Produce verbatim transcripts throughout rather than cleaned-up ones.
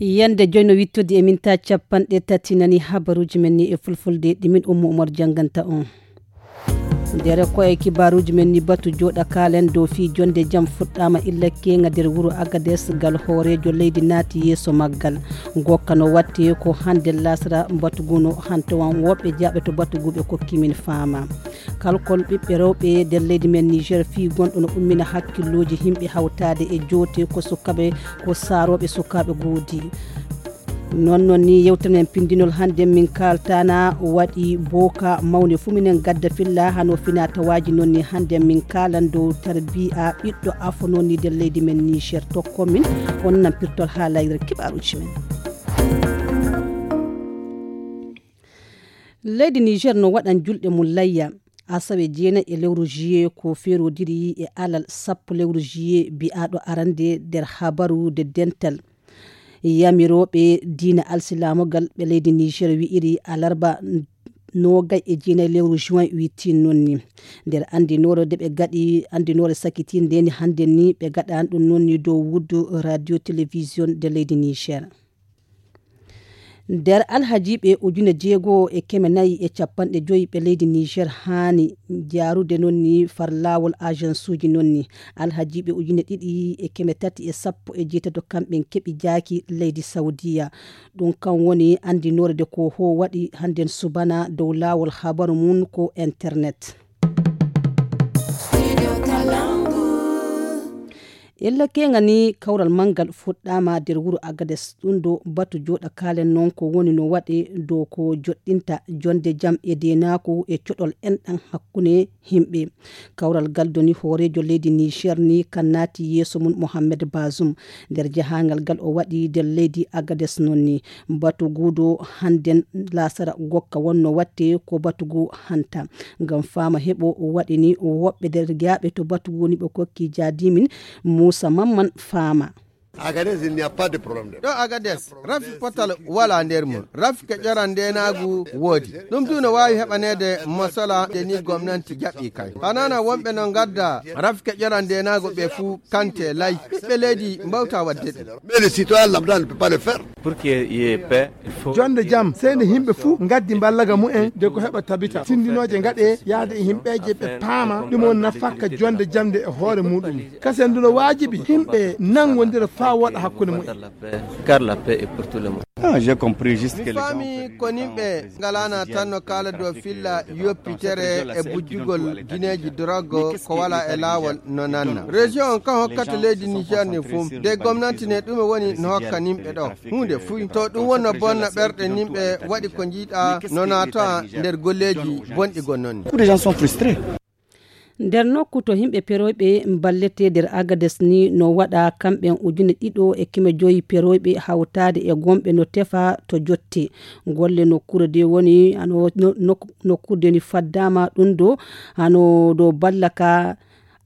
Yande joyno wittodi e minta capanɗe tati nani habaruji men ni e fulfulde ɗi min Ummu Umar janganta on. Ndere ko e kibaruji men ni batu joɗa kalen dow fi jonde jam fuɗɗama illa kenga nder wuro Agades gal hoorejo leydi naati yeeso maggal. Gokka no watte ko hande lasra batu guno hantowan woɓɓe jaɓe to batu guɓe kokki min faama. Kalkol ɓiɓɓe rewɓe nder leydi men Niger fi gonɗo no ummina hakkilloji himɓe hawtade e joote ko sukaɓe ko saroɓe sukaɓe goodi. Non non ni yewtere men pindinol hande min kaltana waɗi boka mawne fu minen gadda filla hano fina tawaji non ni hande min kalan dow tarbiya ɓiɗɗo afo non ni nder leydi men Niger tokko min on nan pirtol haalayre kibaruji men. Leydi Niger no waɗan julɗe mum layya asawe jeenayi e lewru juillet ko ferodiri e alal sappo lewru juillet bi'aɗo arande nder habaru de dental. Yamiroɓe diina alsilamogal ɓe leydi Niger wi'iri alarba nogay e jeenayi lewru juin witin non ni nder andinore de ɓe gaɗi andinore sakitinde ni hande ni ɓe gaɗan ɗum non ni dow wuddu radio télévision de leydi Niger. Nder alhajiɓe ujune jeego e keme nayi e capanɗe joyi ɓe leydi Niger haani jaarude non ni far laawol agensuuji non ni. Alhajiɓe ujune ɗiɗi e keme tati e sappo e jeetato kamɓen keɓi jaaki leydi Saudiya. Ɗum kan woni andinoore de ko ho waɗi hannden subana dow laawol habaru mum ko internet. Ella keŋa ni kawral manngal fuɗɗaama nder wuro Agades ɗum ɗo batu jooɗa kaalen noon ko woni no waɗe dow ko joɗɗinta jonnde jam e deenaaku e coɗol enɗan hakkunde yimɓe. Kawral gal doni hooreejo leydi Niger ni kan naati yeeso mum Mohamed Bazoum nder jahaangal gal o waɗi nder leydi Agades noon ni. Batu guudo hannden laasara gokka wonno watte ko batu gu hanta. Ngam faama heɓo waɗini woɓɓe nder jaaɓe to batu gu ni ɓe kokki jaadimin Muusa Mamman faama. Agades, il n'y a pas de problème de. Ɗo Agades, rafi potal wala nder mum. Rafi keƴoran ndenaagu woodi. Ɗum du no waawi heɓaneede masala de ni gomnanti jaɓi kay. Hanana wonɓe no ngadda rafi keƴoran ndenaagu ɓe fuu kante lay. Ɓiɓɓe leydi mbawta waɗde ɗum. Mais le citoyen lambda ne peut pas le faire. Pour qu'il y ait paix, il faut. Jonde jam, sey nde yimɓe fuu ngaddi mballaga mumen de ko heɓa tabita. Tindinooje ngaɗe yahde e yimɓeeje ɓe paama ɗum on nafakka jonde jam nde e hoore muɗum. Kasen nduno waajibi yimɓe nanngondira faa woɗa hakkunde mumen. Car la paix est pour tout le monde. Ah, j'ai compris juste que mi les gens faami ko nimɓe ngalana tan no kaala dow filla yoppitere e bujjugol gineeji drogue ko wala e laawol no nanna. Région on kan hokkata leydi Niger ni fuu de gomnanti ne ɗume woni no hokka nimɓe ɗo huunde fuu to ɗum wonno bonna ɓerɗe nimɓe waɗi ko njiiɗa no naata nder golleeji bonɗi gonnoni. Beaucoup de gens sont frustrés. Nder nokku to yimɓe peroyɓe ballete nder Agades ni no waɗa kamɓen ujune ɗiɗo e keme joyi peroyɓe hawtaade e gomɓe no tefa to jotte. Golle nokkure de woni ano no- nok- nokkure de ni faddama ɗum do ano do balla ka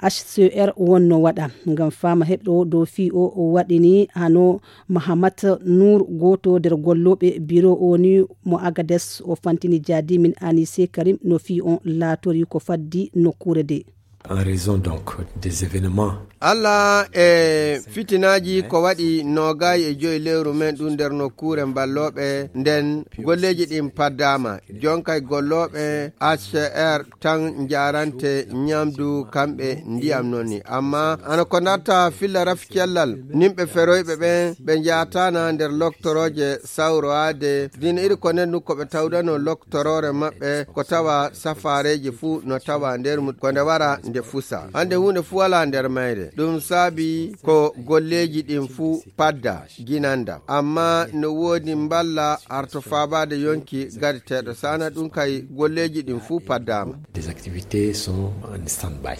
H C R wonno waɗa. Ngam faama heɓɗo dow fii o o waɗini hano Mahamat Nour gooto nder gollooɓe biro o ni mo Agades o fantini jaadimin Anise Karim no fii on laatori ko faddi nokkuure de. En raison donc des événements. Alla e fitinaaji ko waɗi noogaayi e joyi lewru men ɗum nder nokkuure mballooɓe nden golleeji ɗin paddaama. Jonkay gollooɓe H C R tan njaarante ñamdu kamɓe ndiyam noon ni. Amma hano ko darta filla rafi cellal, nimɓe feroyɓe ɓen ɓe njaataana nder loktorooje sawrowaade. Dina iri ko nden ɗum ko ɓe tawdano loktoroore maɓɓe ko tawa safaareeji fuu no tawa nder mum ko nde wara nde fusa. Hannde huunde fuu alaa nder mayre. Ɗum saabi ko golleeji ɗin fuu padda. Ginandam. Amma no woodi mballa arto faabaade yonki gadeteeɗo. Sana ɗum kay golleeji ɗin fuu paddaama. Des activités sont en stand-by.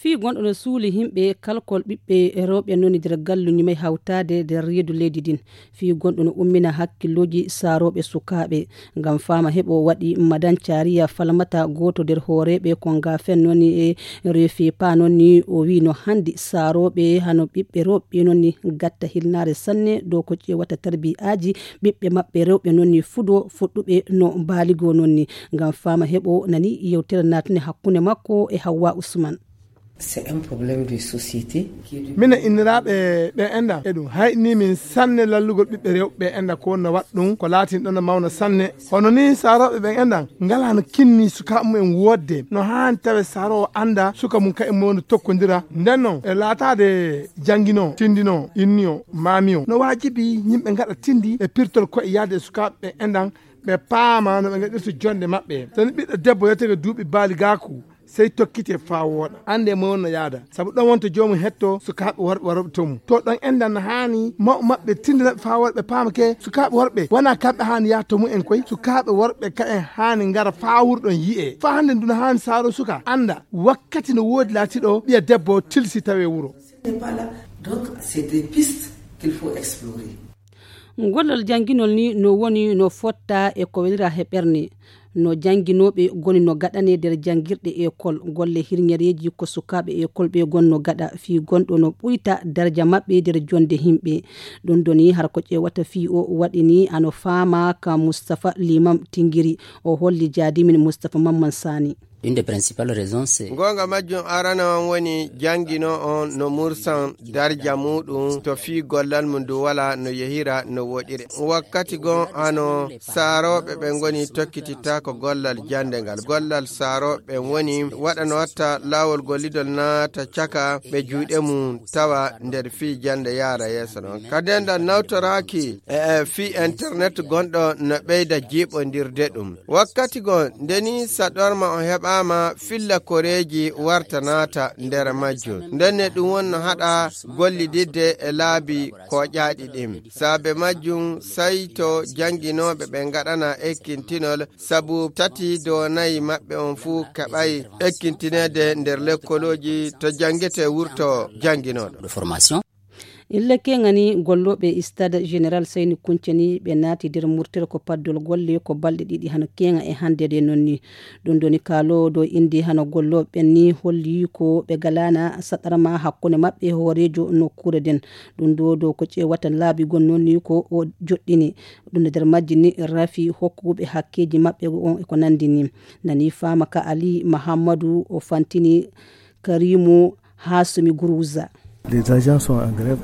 Fii gonɗo no suuli yimɓe kalkol ɓiɓɓe rewɓe noni nder galluñi may hawtaade nder reedu leydi din. Fii gonɗo no ummina hakkillooji saarooɓe sukaaɓe. Ngam faama heɓo waɗi madan caariya falmata gooto nder hooreeɓe konga fen noni e reefi pa noni o wi no handi saarooɓe hano ɓiɓɓe rewɓe noni gatta hilnaare sanne dow ko ƴeewata tarbi'aaji ɓiɓɓe maɓɓe rewɓe noni fudo fuɗɗuɓe no baaligo noni. Ngam faama heɓo nani yewtere naatune hakkunde makko e Hawwa Usman. C'est un problème de société. Minen inniraaɓe ɓe enɗan, e ɗum hayɗini min sanne lallugol ɓiɓɓe rewɓe ɓe enɗan ko wonno waɗ ɗum ko laatin ɗon no mawna sanne. Hono ni saarooɓe ɓen enɗan ngalaa no kinni sukaaɓe mum en woodde no haani tawe saaroowo annda suka mum ka e mum no tokkondira. Nden noon e laataade janngino tindino inniyo maamiyo no waajibi yimɓe ngaɗa tindi e pirtol koye yaade e sukaaɓe ɓe enɗan ɓe paama no ɓe ngaɗirta jonde maɓɓe. So ni ɓiɗɗo debbo yetege duuɓi baaligaaku sey tokkite faa wooɗa annde mo wonno yaada sabu ɗon wonta joomum hetto sukaaɓe worɓe warooɓe to mum to ɗon enɗan no haani mawɓe maɓɓe tindinaɓe faa worɓe paama ke sukaaɓe worɓe wonaa kamɓe haani yaha to mum en koy sukaaɓe worɓe ka en haani ngara faa wuro ɗon yi'e faa hannde ndu no haani saaro suka annda wakkati no woodi laatiɗo ɓiya debbo tilsi tawe wuro. Donc c'est des pistes qu'il faut explorer. Gollal jannginol ni no woni no fotta e ko welira he ɓerne no jannginooɓe goni no gaɗane nder janngirɗe ekol golle hirñereeji ko sukaaɓe ekol ɓe gonno gaɗa fii gonɗo no ɓuyta darja maɓɓe nder jonde himɓe. Ɗum doni har ko ƴeewata fii o waɗini ano faama ka Mustafa Limam Tingiri o holli jaadimin Mustafa Mamman Sani. Une des principales raisons c'est goonga majjum arana on woni janngino on no mursan darja muɗum to fii gollal mum ndu wala no yehira no woɗire wakkati gon hano saarooɓe ɓe ngoni tokkititta ko gollal jannde ngal gollal saarooɓe woni waɗa no watta laawol gollidol naata caka ɓe juuɗe mum tawa nder fii jannde yaara yeeso non ka ndendal nawtoraaki e fii internet gonɗo no ɓeyda jiiɓondirde ɗum wakkati goo ndeni saɗorma o heɓaama filla koreeji warta naata nder majjum ndenne ɗum wonno haɗa gollididde e laabi koƴaaɗi ɗin saabe majjum sayto jannginooɓe ɓe ngaɗana ekkintinol sabu tati dow nayi maɓɓe on fuu keɓay ekkintineede nder lekkolooji to janngete wurto jannginooɗo. Illa keŋani gollooɓe stade général sayni kuncani ɓe naati nder murtere ko paddol golle ko balɗe ɗiɗi hano keŋa e hannde de noon ni. Ɗum doni kaaloowo dow innde hano gollooɓe ɓen ni holli ko ɓe galaana saɗarma hakkunde maɓɓe e hooreejo nokkuure nden. Ɗum ɗo dow ko ƴeewata laabi gon noon ni ko o joɗɗini. Ɗum e nder majji ni rafi hokkuɓe hakkeeji maɓɓe on e ko nanndi ni. Nani faama ka Ali Mahammadu o fantini Karimu Hasumi Guruza. Les agents sont en grève.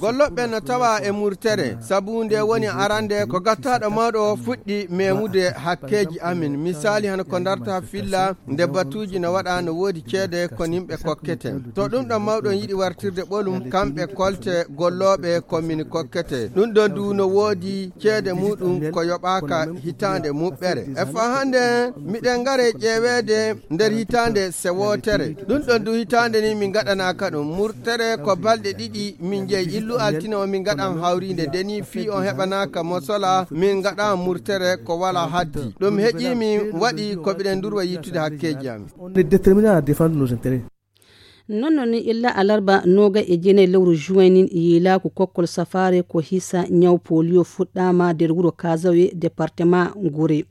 Gollooɓe no tawa e murtere sabu nde woni arande ko gattaaɗo mawɗo fuɗɗi memude hakkeeji amin misali hano ko darta filla nde batuuji no waɗa no woodi ceede ko nimɓe kokketen to ɗum ɗon mawɗo yiɗi wartirde ɓolum kamɓe kolte gollooɓe ko min kokkete ɗum ɗon du no woodi ceede muɗum ko yoɓaaka hitaande muɓɓere e fa hannde miɗen ngare ƴeeweede nder hitaande se wootere ɗum ɗon du hitaande ni min ngaɗanaaka ɗum murtere ko balɗe ɗiɗi min jeyi illu altine o min ngaɗan hawriinde ndeni fii on heɓanaaka mosola min ngaɗan murtere ko wala haddi ɗum heƴi min waɗi ko miɗen ndurwa yittude hakkeeji amin. On est déterminé à défendre nos intérêts. Non non ni illa alarba noga e jeenayi lewru juin nin yiilaaku kokkol safaare ko hisa ñaw polio fuɗɗaama nder wuro kazawe département ngure.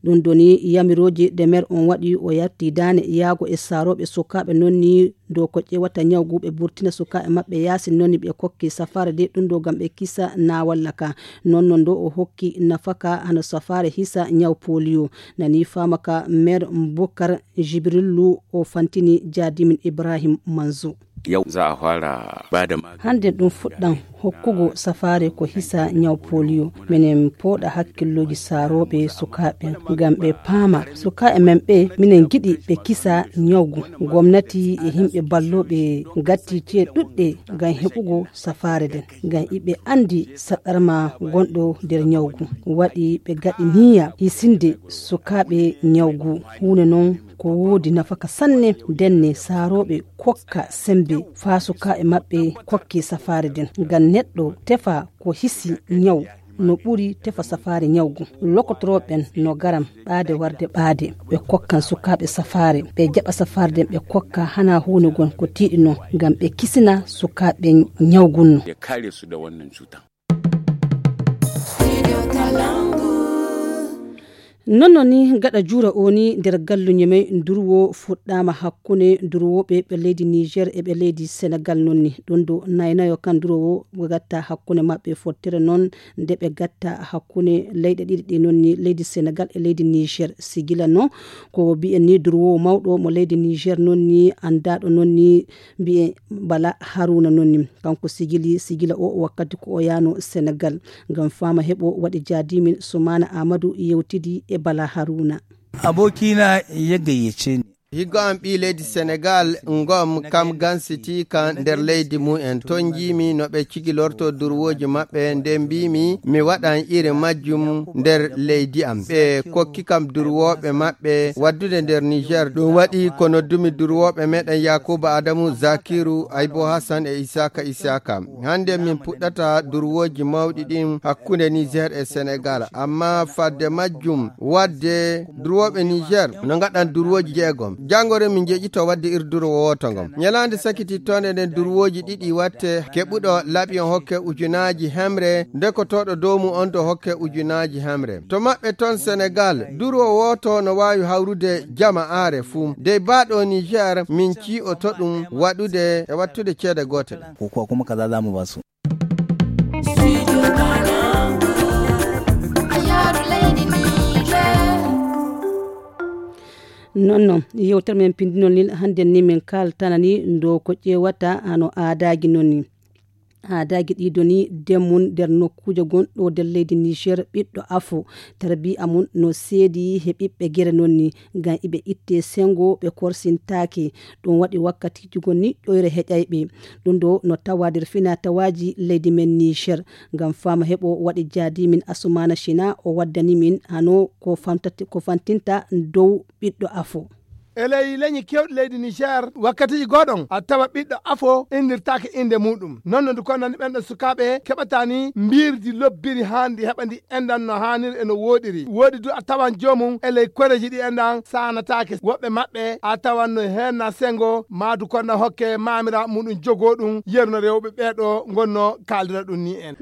Ɗum doni yamirooji ɗe mer on waɗi o yalti daane yaago e saarooɓe sukaaɓe non ni dow ko ƴeewata ñawgu ɓe burtina sukaaɓe maɓɓe yaasin non ni ɓe kokki safaare de ɗum ɗo ngam ɓe kisa na walla ka non non ɗo o hokki nafaka hano safaare hisa ñaw polio nani faama ka mer mbukar jibrillu o fantini jaadimin ibrahim manzo. Yau za a fara ba da magani. Hande ɗum fuɗɗan hokkugo safaare ko hisa ñaw polio. Minen pooɗa hakkillooji saarooɓe sukaaɓe ngam ɓe paama sukaaɓe men ɓe minen ngiɗi ɓe kisa ñawgu. Gomnati e yimɓe ballooɓe gatti ci'e ɗuɗɗe ngam heɓugo safaare nden ngam iɓe anndi saɗarma gonɗo nder ñawgu. Waɗi ɓe gaɗi niyya hisinde sukaaɓe ñawgu. Huunde non ko woodi nafaka sanne ndenne saarooɓe kokka sembe faa sukaaɓe maɓɓe kokki safaare nden ngam neɗɗo tefa ko hisi ñaw no ɓuri tefa safaare ñawgu. Lokotorooɓe ɓen no garan ɓaade warde ɓaade ɓe kokkan sukaaɓe safaare ɓe jaɓa safaare nden ɓe kokka hana huunde gon ko tiiɗi non ngam ɓe kisina sukaaɓe ñawgun no. Ya kare su da wannan cuta. Non non ni gaɗa juura o ni nder gallu Ñemey, durwo fuɗɗaama hakkunde durwooɓe ɓe leydi Niger e ɓe leydi Senegal. Non ni ɗum ɗo naynayo kan durwo o gatta hakkunde maɓɓe fottere non nde ɓe gatta hakkunde leyɗe ɗiɗi ɗi non ni leydi Senegal e leydi Niger. Sigila non ko mbiyen ni durwoowo mawɗo mo leydi Niger non ni anndaaɗo non ni mbiyen Bala Haruna non ni. Kanko sigili sigila o wakkati ko o yaano Senegal. Ngam faama heɓo waɗi jaadimin Sumana Amadou yewtidi e Bala Haruna. Abokina ya gayyace ni. Higo am ɓii leydi Senegal, ngom kam gansiti kan nder leydi mum en. Ton njiimi no ɓe cigilorto durwooji maɓɓe, nde mbiimi mi waɗan iri majjum nder leydi am. Ɓe kokki kam durwooɓe maɓɓe waddude nder Niger. Ɗum waɗi ko noddumi durwooɓe meɗen Yakuba Adamu, Zakiru, Aybo Hassan e Isaka Isaka. Hannde min puɗɗata durwooji mawɗi ɗin hakkunde Niger e Senegal. Amma fadde majjum, wadde durwooɓe Niger no ngaɗan durwooji jeegom. Janngo re min jeƴito wadde ir durwo wooto ngom. Ñalaande sakiti tonde nden durwooji ɗiɗi watte, keɓuɗo laaɓi on hokke ujunaaji hemre, ndekotooɗo dow mum on do hokke ujunaaji hemre. To maɓɓe ton Senegal, durwo wooto no waawi hawrude jama aare fuu. Dey baaɗo Niger, min cii'oto ɗum waɗude e wattude ceede goote ɗe. Ko kuwa kuma kaza za mu ba su. Non non yewtere men pindinol ni hannden ni min kaaltana ni ndo ko ƴeewata hano aadaaji non ni. Aadaaji ɗiɗo ni den mum nder nokkuuje gonɗo nder leydi Niger, ɓiɗɗo afo tarbiya mum no seedi he ɓiɓɓe gere non ni. Ngam iɓe itte sengo ɓe korsintaake. Ɗum waɗi wakkatiiji gon ni ƴoyre heƴayɓe. Ɗum ɗo no tawa nder fina tawaaji leydi men Niger. Ngam faama heɓo waɗi jaadimin Asumana Shina o waddani min hano ko famtati-, ko fantinta dow ɓiɗɗo afo. E ley leñi kewɗi leydi Niger, wakkatiiji goɗon a tawa ɓiɗɗo afo inndirtaake innde muɗum. Non no ndu konnani ɓen ɗon sukaaɓe keɓata ni mbiirdi lobbiri haandi heɓa ndi endan no haaniri e no wooɗiri. Wooɗi du a tawan joomum e ley koreeji ɗi endan saanataake. Woɓɓe maɓɓe a tawan no heenna sengo maa du konna hokke maamira muɗum jogoo ɗum yerno rewɓe ɓeeɗo ngonno kaaldira ɗum ni en.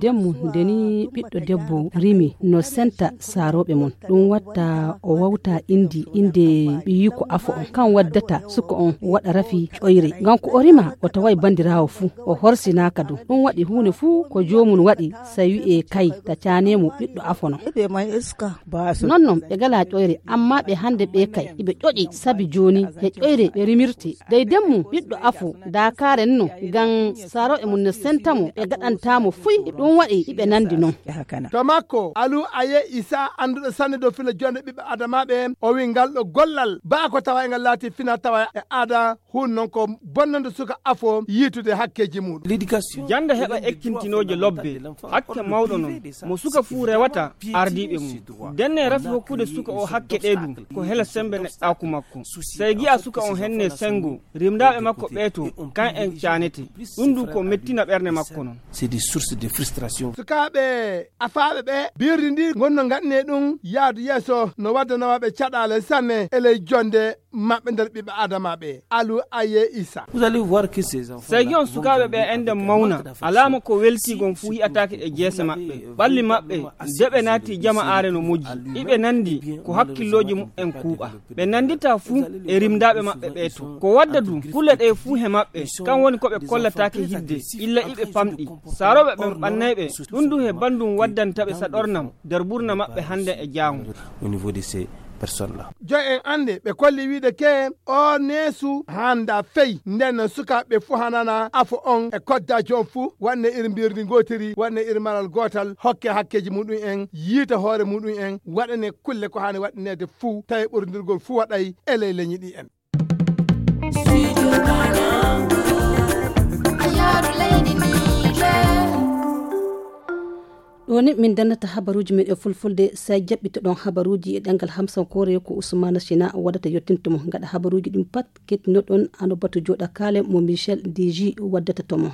Demmu nde ni ɓiɗɗo debbo rimi no senta saarooɓe mum. Ɗum watta o wawta indi inde ɓiyiiko afo on. Kan waddata suka on waɗa rafi ƴoyre. Ngam ko o rima o taway bandiraawo fuu. O horsinaaka du. Ɗum waɗi huunde fuu ko joomum waɗi, sey wi'e kay ta caane mo ɓiɗɗo afo non. Non non ɓe gala ƴoyre, amma ɓe hannde ɓe kay iɓe ƴoƴi sabi jooni he ƴoyre ɓe rimirte. Dey demmu ɓiɗɗo afo daakaare no ngam saarooɓe mum no senta mo ɓe gaɗanta mo fuy. Ɗum waɗi iɓe nandi non. To makko, Alu Aye Isa, annduɗo sanne dow filla jonde ɓiɓɓe adamaaɓe, o wi ngal ɗo gollal baa ko tawa e ngal laati fina tawa e aada, hun non ko bonnande suka afo yiitude hakkeeji muɗum. Jannde heɓa ekkintinooje lobbe, hakke mawɗo non, mo suka fuu rewata ardiiɓe mum. Denne rafi hokkude suka o hakke ɗe ɗum, ko hela sembe neɗɗaaku makko. Sey gi'a suka on henne sengo, rimdaaɓe makko ɓeeto, kan en caanete. Ɗum du ko mettina ɓernde makko non. C'est des sources de frustration. Sukaaɓe afaaɓe ɓe, birri ndi ngonno ngaɗne ɗum yaadu yeeso no waddanawa ɓe caɗaale sanne e ley jonde maɓɓe nder ɓiɓɓe adamaaɓe. Alu Aye Isa. Sey gi'on sukaaɓe ɓe enden mawna, alaama ko weltiigon fuu yi'ataake e jeese maɓɓe. Ɓalli maɓɓe, de ɓe naati jama aare no moƴƴi. Iɓe nandi ko hakkillooji muɓɓen kuuɓa. Ɓe nandita fuu e rimdaaɓe maɓɓe ɓeeto. Ko wadda du, kulle ɗe fuu he maɓɓe, kan woni ko ɓe kollataake hidde, illa iɓe pamɗi. Saarooɓe ɓen ɓannayɓe, ɗum du he banndum waddanta ɓe saɗornam nder ɓurna maɓɓe hannde e jaango. Au niveau de ces personnes-là. Joy en annde ɓe kolli wiide ke o neesu hannda fey, nden no sukaaɓe fuu hanana afo on e koddaaji on fuu waɗne iri mbirdi ngootiri, waɗne iri maral gootal, hokke hakkeeji muɗum en, yiita hoore muɗum en, waɗane kulle ko haani waɗineede fuu, tawi ɓurdirgol fuu waɗay e ley leñi ɗi en. Ɗo ni min dannata habaruuji men e fulfulde, say jaɓɓitoɗon habaruuji e ɗemngal hamsankoore ko Usmana Sina waddata yottinto mo. Gaɗa habaruuji ɗin pat kettinoɗon ano batu jooɗa kaale mo Michel D J waddata to mo.